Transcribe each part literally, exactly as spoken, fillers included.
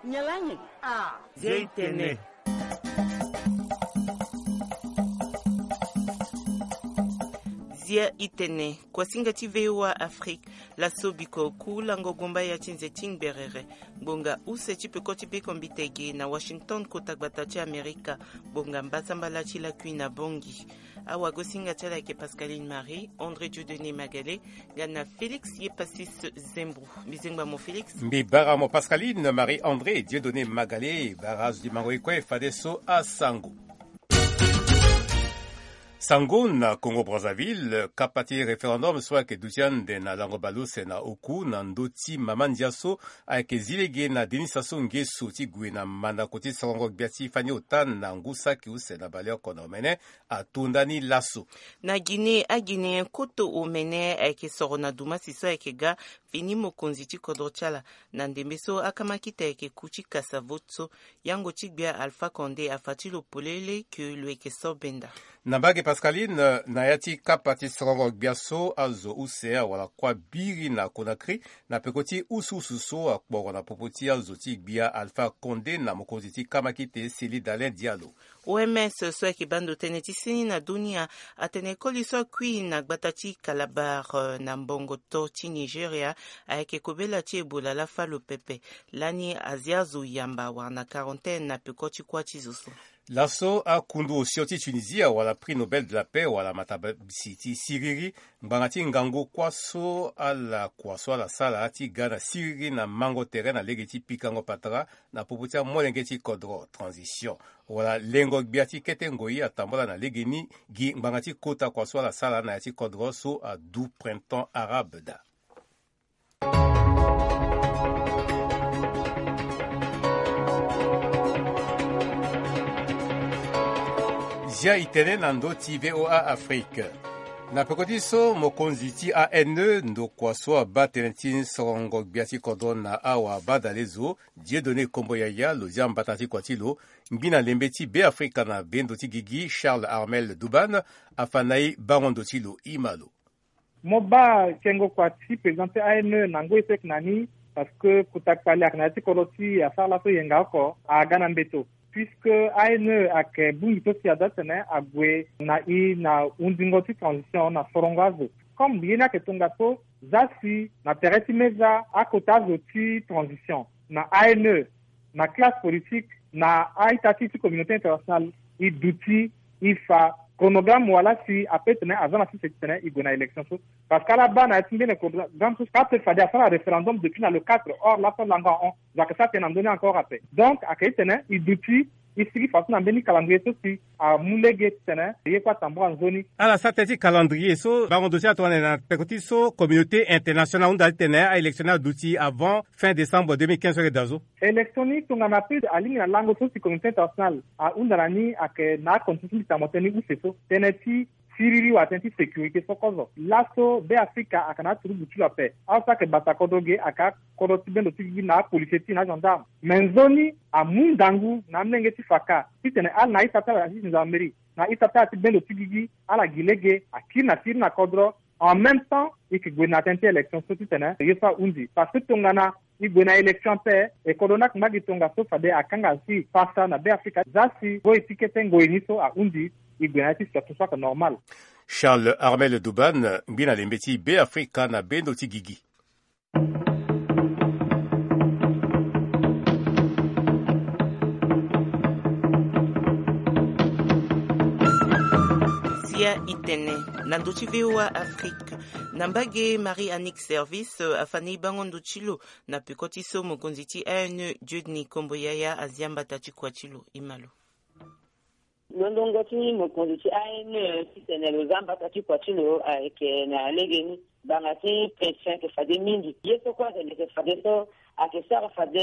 Nyen lani? Ah, zia i tene. Zia i tene. Kuasinga ti V O A Afrique. Laso biko ku lango gomba ya ti nze ti ngberere. Ngbonga use ti peko ti beko mbitege na Washington, kota gbata ti Amerika. Ngbonga mbasambala ti lakui na Bongi. Awagosinga ti ala ayeke Pascaline Marie André Dieudonné Magale, nga na Félix Yepasis Zembro. Mbi zengba mo Félix. Mbi bara mo Pascaline Marie André Dieudonné Magale. Bara azo di mango ye kue fadeso asango. Sango na Congo Brazzaville, kapa ti référendum so ayeke duti ande na lango baleuse na oku na ndö ti mama ndia so ayeke zi lege na Denis Sassou Nguesso ti gue na mandako ti sarango gbia ti fani ota na ngu saki use na baleoko na omene ato ndani laso. Na Guinée, a-Guinéen koto omene ayeke soro na dumasi so ayeke ga fini mokonzi ti kodro ti ala. Na ndembe so akamakite ayeke ku ti kasa vote so, yango ti gbia Alpha Condé afa ti lo polele ke lo yeke so benda. Na mbage Pascaline, na ya ti kapa ti sarango gbia so azo use awara kuâ biri na Conakry na peko ti usuusu so akporo na popo ti azo ti gbia Alpha Condé na mokonzi ti kamakite Cellé Dalein Diallo. O M S so ayeke baa ndo tënë ti seni na dunia atene koli so akui na gbata ti Calabar, eh, na mbongo to ti Nigeria, ayeke kobela ti Ebola lafa lo pepe. Lani azia zo yamba wala na quarantaine na peko ti kuâ ti zo so. Laso akundu osio ti Tunisie awara prix Nobel de la paix wala matabisi ti siriri, ngbanga ti ngangu kuâ so ala kua so ala sara ti ga na siriri na mango tere na lege ti pikango patara na popo ti amolenge ti kodro transition. Wala lengo gbia ti kete ngoi atambula na legeni gi ngbanga ti kota kua so ala sara na ya ti kodro so adu printemps arabe daa. Zia i tene na ndö ti V O A Afrique. Na peko ti so mokonzi ti A N E ndokua so abaa tënë ti sorongo gbia ti kodro na awa badale zo, Dieudonné Kombo Yaya, lo zia mbata ti kua ti lo, ngbi na lembe ti Beafrika na bendo ti gigi Charles Armel Douban afa na e bango ndo ti lo. I ma lo. Mo baa kengo kua ti président ti A N E na ngoi so e yeke na ni, parce que kota kpali ayeke na ya ti kodro ti e asara laso yenga oko aga na mbeto. Puisque A N E ayeke bongbi so si aza tene ague na e na hundingo ti transition na sorongo azo. Comme ye ni ayeke tongaso, za si na tere ti meza akota azo ti transition na A N E, na classe politique, na a-ita ti e ti communauté internationale, e duti, e fa chronogramme wala si ape tene aza na sese ti tene e gue na élection so. Parce que ala baa na ya ti mbeni chronogramme so, ape fade asara référendum depuis na le quatre, or laso alango ahon. Zo ayeke sara tënë na ndö ni encore ape. Donc ayeke e tene e duti, e sigi fadeso na mbeni calendrier so si amu lege ti tene ye kue atambula nzoni. Ala sara tënë ti calendrier so, bango ndo ti ala tongana na peko ti so communauté internationale ahunda ti tene a-élection ni aduti avant fin décembre deux mille quinze so ayeke daa so. Élection ni tongana ape alingbi na lango so si communauté internationale ahunda na ni ayeke na acondition ti mbi tene mo tene ni use so, tënë ti siriri wala tënë ti sécurité so kozo. Laso Beafrika ayeke na aturugu ti lo ape. Azo so ayeke bata kodro ge ayeke akodro ti bendo ti gigi na apolisier ti e na agendarme. Me nzoni amu ngangu na amolenge ti faka titene ala na a-ita ti ala ti gendarmerie, na a-ita ti ala ti bendo ti gigi, ala gi lege akiri na siriri na kodro. En même temps e yeke gue na tënë ti élection so titene ye so ahundi. Parce que tongana e gue na élection ape, e kodro ni ayeke ngba gi tongaso fade akanga si pasa na Beafrika. Za si ngoi ti kete ngoi ni so ahundi, e gue na ya ti situation so ayeke normal. Charles Armel Douban, ngbi na lembe ti Beafrika na bendo ti gigi. Zia i tene na ndö ti V O A Afrique. Na mbage, Marie Annick Service, euh, afa na e bango ndo ti lo na peko ti so mokonzi ti A N E, Dieudonné Kombo Yaya, azia mbata ti kua ti lo. I ma lo. Lolongo ti mokonzi ti A N E titene lo za mbata ti kua ti lo ayeke na lege ni. Ngbanga ti pression ayeke fade mingi. Ye so kue azali ayeke fade so, ayeke sara fade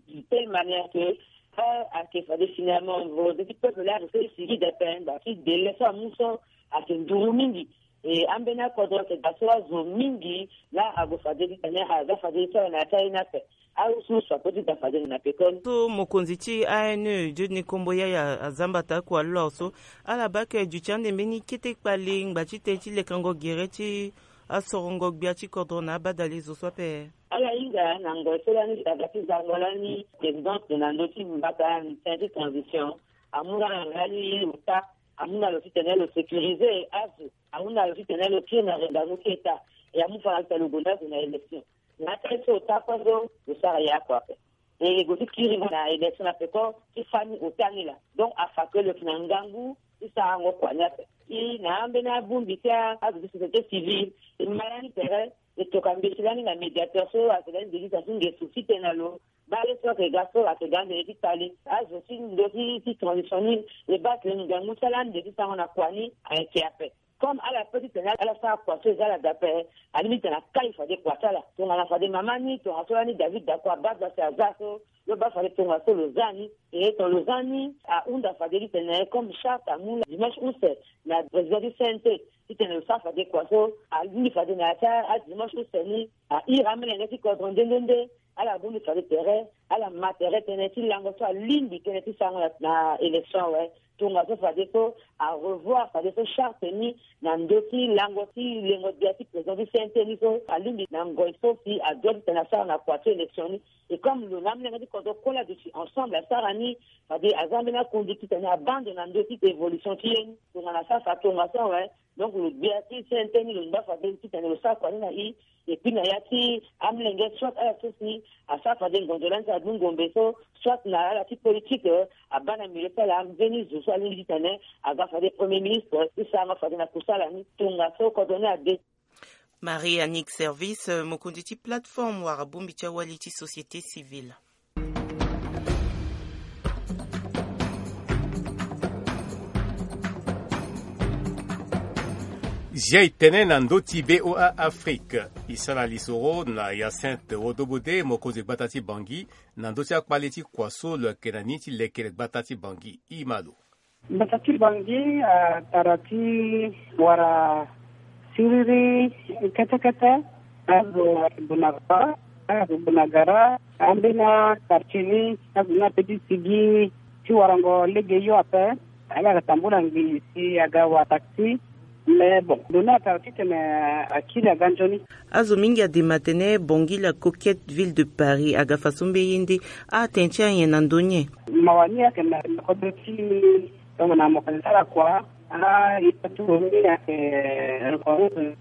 de telle manière que, ah, ayeke fade finalement volonté ti peuple laa ayeke so e sigi de ape. Ngbanga ti délai so amu so ayeke nduru mingi. E ambeni akodro ayeke daa so azo mingi laa ague fade titene aza fade ti ala na ya ti aye ni ape. Ahusu so apeut ti daa fade na pekoni. So mokonzi ti A N E, Dieudonné Kombo Yaya, aza mbata kua lo so, ala baa ayeke duti ande mbeni kete kpale ngba ti tënë ti lekango gere ti Asorongo gbia ti kodro na abadale zo so ape. Ala hinga na ngoi so lani aga ti zango lani présidente na ndö ti mbata na ti transition, amu laa na lani ota, amu na lo titene lo sécuriser azo, amu na lo titene lo kiri na rendango ti état, e amu fa na lo titene lo gonda azo na élection. Na ata ye so ota kue so lo sara ye oko ape. E go ti kiri na élection na peko ti fani ota ni laa. Donc afa ke lo yeke na ngangu ti sarango kua ni ape. Si na ambeni abongbi ti azo ti société civile, e ma lani tere, e toka mbeti lani na médiateur so azo lani nde ti za ti ngesu titene na lo baa ye so ayeke ga so ayeke ga ndene ti tali azo ti ndo ti transition ni. E baa tene ngangu ti ala ande ti sarango na kua ni ayeke ape. Comme ala pe titene ala sara kua so e za ala daa ape, alingbi titene akali fade kua ti ala. Tongana fade mama ni, tongaso lani David Dako abaa so asi aza so, lo baa fade tongaso lo za ni. E tongana lo za ni, ahunda fade titene comme charte amu na dimanche use na président ti C N T titene lo sara fade kua so, alingbi fade na ya ti adimanche use ni, ahiri amolenge ti kodro nde nde nde. Ala bongbi fade tere, ala ma tere tënë ti lango so alingbi tënë ti sarango na, na élection awe. Tongaso fadeso arevoir fadeso charte ni na ndö ti lango ti lengo gbia ti président ti C N T ni so alingbi na ngoi so si adoit titene asara na kua ti élection ni. Et comme lo na amolenge ti kodro kue laa aduti ensemble asara ni, fade aza mbeni akonduite titene abaa ndo na ndö ti évolution ti ye ni. Tongana asara fa tongaso awe, donc lo gbia ti C N T ni lo ngba fade titene lo sara kua ni na i. Et puis na ya ti amolenge, soit ala so si asara fade ngonzo lani so adu ngombe so, soit na ala ti politique, abaa na milieu ti ala mbeni zo so alingbi titene aga fade premier ministre ti sarango fade na kusala ni. Tongaso kodro ni ade. Marie Annick Service, mokonzi ti plateforme wala bongbi ti awali ti société civile. Zia e tene na ndö ti B O A Afrique. E sara lisoro na Hyacinthe Wodobode, mokonzi gbata ti Bangui, na ndö ti akpale ti kua so lo yeke na ni ti lekere gbata ti Bangui. E ma lo. Mbata ti Bangui atara ti wara siriri kete kete. Azo ayeke gue na gara, azo gue na gara. Ambeni quartier ni, azo ni ape ti sigi ti warango lege hio ape. Ala yeke tambula ngbii si aga wa taxi. Mais bon, lo ni atara titene akiri aga nzoni. Azo mingi adema atene Bangui la coquette ville de Paris aga faso mbe ye nde. Atene ti anyen na ndö ni. Mawa ni ayeke na kodro ti tongana mo yeke sara kua. Ah, e ta ti lo ni ayeke reconnaître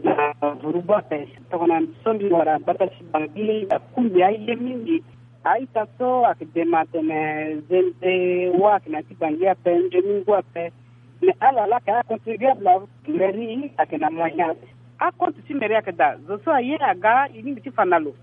na vurugu ape. Tongana so mbi wara gbata ti Bangui, akungbi aye mingi. A-ita so ayeke dema atene zende wâ ayeke na ya ti Bangui ape, nzoni ngu ape. Mais ala laa ayeke acontribuable. Mairie ayeke na moyen ape. Acompte ti mairie ayeke daa. Zo so aye aga, e lingbi ti fa na lo.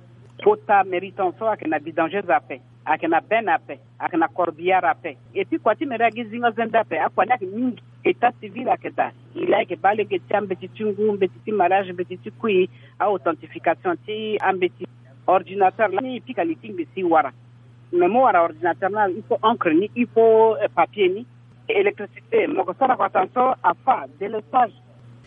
Kota mairie tongaso ayeke na vidangeuse ape, ayeke na benne ape, ayeke na corbillard ape. Et puis kua ti mairie agi zingo zende ape, akua ni ayeke mingi. État civil ayeke daa. E laa e yeke baa lege ti ambeti ti ngu, mbeti ti mariage, mbeti ti kui, a-authentification ti ambeti. Ordinateur lani e pika li ti ngbii si e wara. Mais mo wara ordinateur ni, il faut encre ni, il faut, euh, papier ni. Électricité, mo yeke sara kua tongaso, afa, délestage.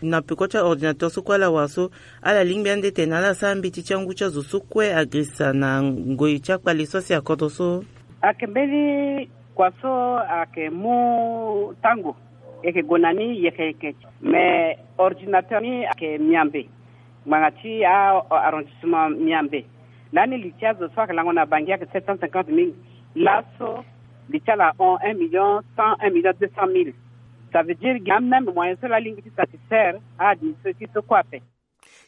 Na peko ti aordinateur so kue ala wara so, ala lingbi ande tene ala sara mbeti ti angu ti azo so kue agirisa na ngoi ti akpale so asi akodro so. Ayeke mbeni kua so ayeke mu tango, e yeke gue na ni yeke yeke. Mais ordinateur ni ayeke miambe. Ngbanga ti a, arrondissement miambe. Lani li ti azo so ayeke lango na Bangui ayeke sept cent cinquante mille. Laso li ti ala ahon un million cent, un million deux cent mille. Ça veut dire gi amême moyen so la lingbi ti satisfaire a-administré ti so kue ape.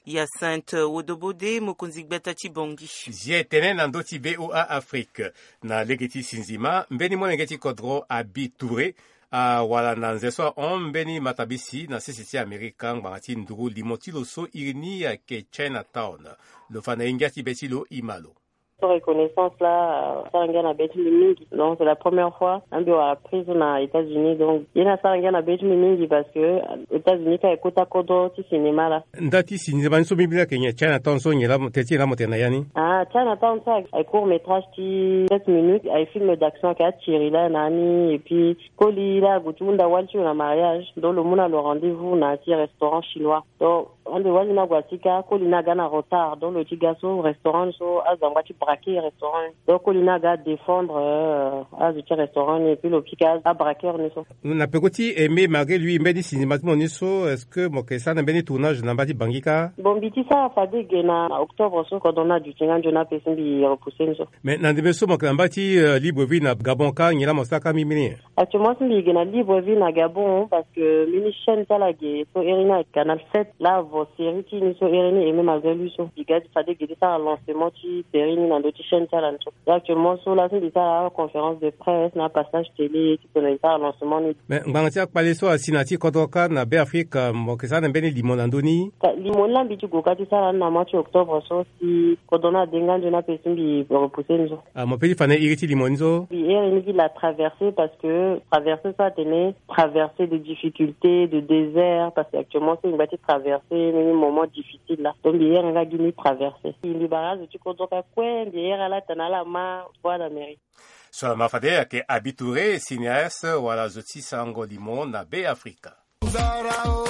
Hyacinthe Wodobode, mokonzi gbata ti Bangui. Zia e tene na ndö ti B O A Afrique. Na lege ti sinzima, mbeni molenge ti kodro Abi Touré awara na nze so ahon mbeni matabisi na sese ti Amerika ngbanga ti nduru limo ti lo so iri ni ayeke Chinatown. Lo fa na ye ngia ti be ti lo, e ma lo. Reconnaissance la, euh, asara ngia na be ti mbi mingi. Donc c'est la première fois ambi wara prise na États-Unis. Donc ye ni asara ngia na be ti mbi mingi parce que, euh, États-Unis ka e kota kodro ti cinéma la. Nda ti cinéma ni so mbi bi la ayeke nyen? Chinatown so nyen la mo tene ti nyen la mo tene na ya ni? Ah, Chinatown so ayeke court métrage ti sept minutes, ayeke film d'action, ayeke atiri la na ni, et puis koli la ague ti hunda wali ti lo na mariage, donc lo mu na lo rendez-vous na ya ti restaurant chinois. Donc Ande wali ni ague asika, koli ni aga na retard, donc lo ti ga so restaurant ni so azangba ti braquer restaurant ni. Donc koli ni aga adéfendre, euh, azo ti restaurant ni, et puis lo pika abraqueur ni so. Na peko ti Aimé, malgré lui, mbeni sinema ti mo ni so, est-ce que mo yeke sara na mbeni tournage na mba ti Bangui kâ? Bon, mbi ti sara fade ge na octobre so, kodro ni aduti nga nzoni ape si mbi repousser ni so. Mais na ndembe so mo yeke na mba ti, euh, Libreville na Gabon kâ, nyen laa mo sara kâ mimini? Actuellement so mbi yeke na Libreville na Gabon, parce que mbeni chaîne ti ala ge so iri ni a Canal sept, laa avo série ti ni so iri ni Aimé, malgré lui so. Mbi ga ti fade ge ti sara lancement ti série ni na ndö ti chaîne ti ala ni so. Actuellement so laa so mbi sara conférence de presse na passage télé ti tene mbi sara lancement ni. Mais ngbanga ti akpale so asi na ya ti kodro kâ na Be Afrique, mo yeke sara na mbeni limo na ndö ni? Ka limo ni laa mbi ti gue kâ ti sara ni na mois ti octobre so, si kodro ni ade nga nzoni ape si mbi repousser ni so. Ah, mo peut ti fa na iri ti limo ni so? Mbi iri ni gi la traversée, parce que traversée so atene traversée de difficulté, de désert, parce que actuellement so mbi ngba ti traverser mbeni moment difficile laa. Donc mbi iri nga gi ni traversée. Mbi bara azo ti kodro kâ kue, mbi iri ala tene ala ma Voix d'Amérique. So ala ma fade ayeke Abi Touré, cinéaste, wala zo ti sarango limo na Be Afrika. Nzara o,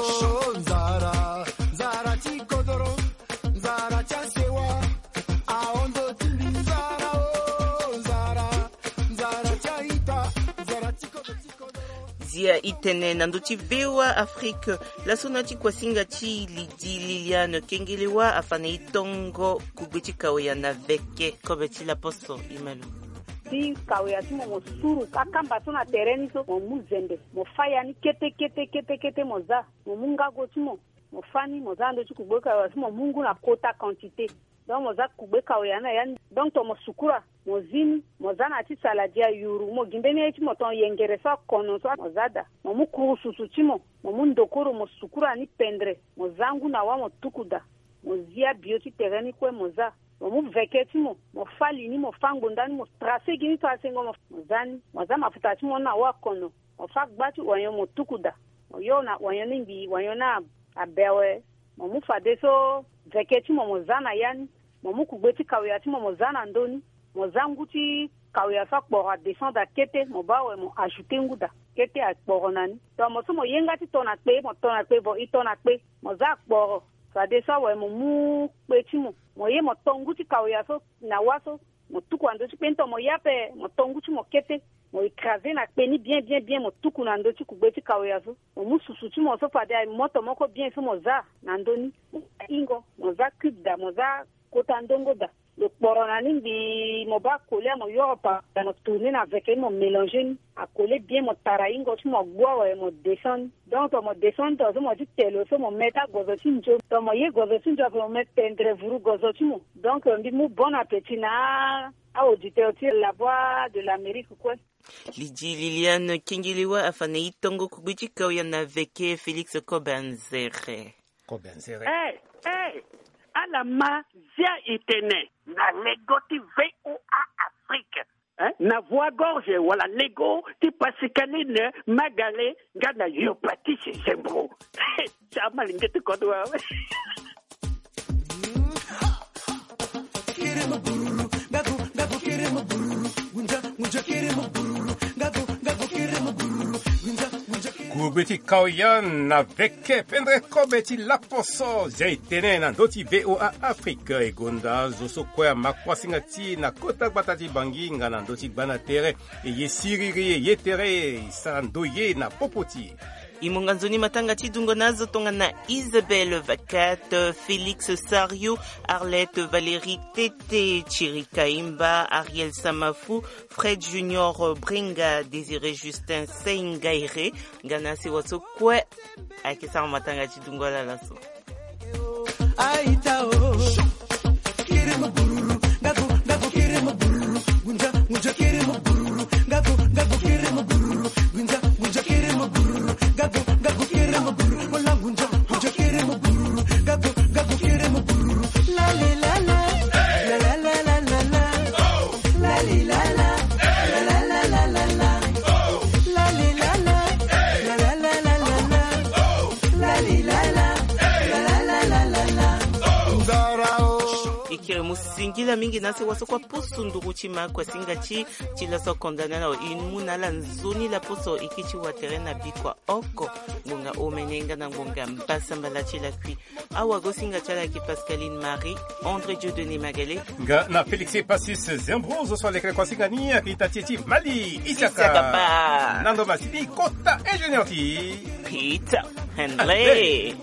nzara, nzara ti kodoro, nzara ti asewa, ahon ndo ti mbi, nzara o, nzara, nzara ti a-ita, nzara ti kodoro, ti kodoro. Zia e tene na ndö ti V O A Afrique, laso na ti kuasinga ti Lydie Liliane Kengelewa afa na e tongo kugbe ti kawea na veke kobe ti laposo. Imelo. Ti kawea ti mo, mo suru akamba so na tere ni so, mo mu zembe, mo fâ ya ni kete, kete, kete, kete, mo za, mo mu ngago ti mo, mo fâ ni, mo za na ndö ti kugbe kawea so, mo mu ngu na kota quantité. Donc mo za kugbe kawea ni na ya ni. Donc to mo sukura, mo zi ni, mo za na ya ti saladi ayuru, mo gi mbeni aye ti mo ton yengere so akono so, mo za daa. Mo mu kurususu ti mo, mo mu ndokoro, mo sukura ni pendre, mo za ngu na wâ, mo tuku daa. Mo zi abio ti tere ni kue, mo za. Mo mu veke ti mo, mo fâ li ni, mo fâ ngbonda ni, mo tracé gi ni, tracengo, mo, mo za ni. Mo za mafuta ti mo ni na wâ akono, mo fâ gba ti oignon, mo tuku daa. Mo yo na oignon ni ngbii, oignon ni a, abe awe. Mo mu fadeso veke ti mo, mo za na ya ni. Mo mu kugbe ti kawea ti mo, mo za na ndö ni. Mo za ngu ti kawea so akporo adescendre akete, mo baa awe, mo ajouter ngu daa. Kete akporo na ni. Donc mo so mo ye nga ti to na kpe, mo to na kpe, vo e to na kpe, mo za akporo. Fadeso awe mo mu kpe ti mo, mo ye mo to ngu ti kawea so na wâ so, mo tuku na ndö ti kpe ni. To mo ye ape, mo to ngu ti mo kete, mo écraser na kpe ni bien, bien, bien, mo tuku na ndö ti kugbe ti kawea so. Mo mu susu ti mo so fade aye moto moko bien so, mo za na ndö ni. Mo za ingo, mo za cube daa, mo za kota ndongo daa. Lo kporo na ni ngbii, mo baa akole, mo yoro pa, mo tourner na veke ni, mo mélanger ni. Akole bien, mo tara ingo ti mo, agbu awe, mo descendre ni. Donc to mo descendre, to so mo ti telo so, mo mettre agozo ti nzo. To mo ye gozo ti nzo ape, mo mettre pendre vuru gozo ti mo. Donc mbi mu bon appétit na a-auditeur ti La Voix de l'Amérique kue. Lydie Liliane Kengelewa afa na e tongo kugbe ti kawea na veke Félix Kobanzere. Kobanzere. Eh, eh, ala ma zia e tene na lego ti V O A Afrique, eh, na Voix Gorge wala lego ti Pascaline Magale nga na Yo Patrice Zembro. Ti amalenge ti kodro awe. Kugbe ti kawea na veke pendre kobe ti laposo, zia e tene na ndö ti V O A Afrique. E gonda zo so kue ama kuasinga ti e na kota gbata ti Bangui nga na ndö ti gbanda tere. E ye siriri, e ye tere, e sara ndoye na popo ti e. E monga nzoni matanga ti dungo na azo tongana Isabelle Vacat, Félix Sario, Arlette Valérie Tete, Thierry Kaimba, Ariel Samafou, Fred Junior Bringa, Désiré Justin Seingaire, nga na asewa so kue ayeke sara matanga ti dungo ala laso. E kiri mu singila mingi na se waso kua pusu nduru ti ma kuasinga ti ti laso konda na lo e mu na ala nzoni laposo e kiri ti watere na bikua oko. Ngbonga omene nga na ngbonga mbasambala ti lakui. Awagosinga ti ala yeke Pascaline Marie, André Dieudonné Magalé, nga na Félix Passis Zembro zo so alekere kuasinga ni ayeke ita ti e ti Mali Isiaka. Isiaka pa. Na ndo masini kota ingénieur ti Peter Henley.